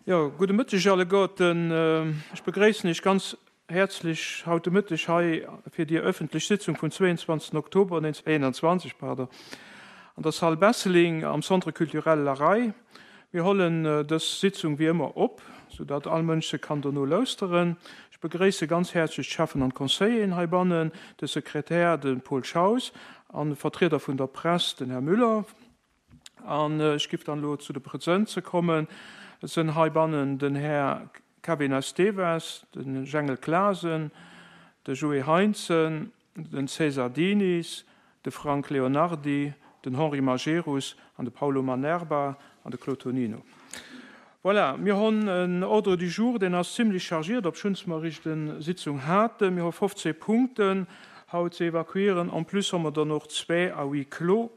Jo, gudde Mëtteg alleguerten. Ech begréissen Iech ganz häerzlech haut de Mëtteg hei fir déi öffentlech Sitzung vum 22. Oktober 1921, pardon, an der Salle Besseling am Centre culturel La Raye. Mir hollen dës Sitzung wéi ëmmer op, soudatt all Mënsch se kann dono lauschteren. Ech begréisse ganz häerzlech d'Cheffen an d'Conseilleren heibannen, de Sekretär, de Paul Schaus, an de Vertrieder vun der Press, den Här Müller. An ech giff dann elo zu de Presënze kommen. Et sënn heibannen den Här Kevin Esteves, de Jengel Clasen, de Joé Heintzen, den César Diniz, de Frank Leonardy, den Henri Majerus an de Paulo Manerba an de Claude Tonino. Voilà, mir honn en Ordre du jour, deen ass zimlech chargiert, obschuns mer eréischt en Sitzung haten. Mir hu 15 Punkten haut ze evakuieren. En plus hu mer dann och zwä à huis clos.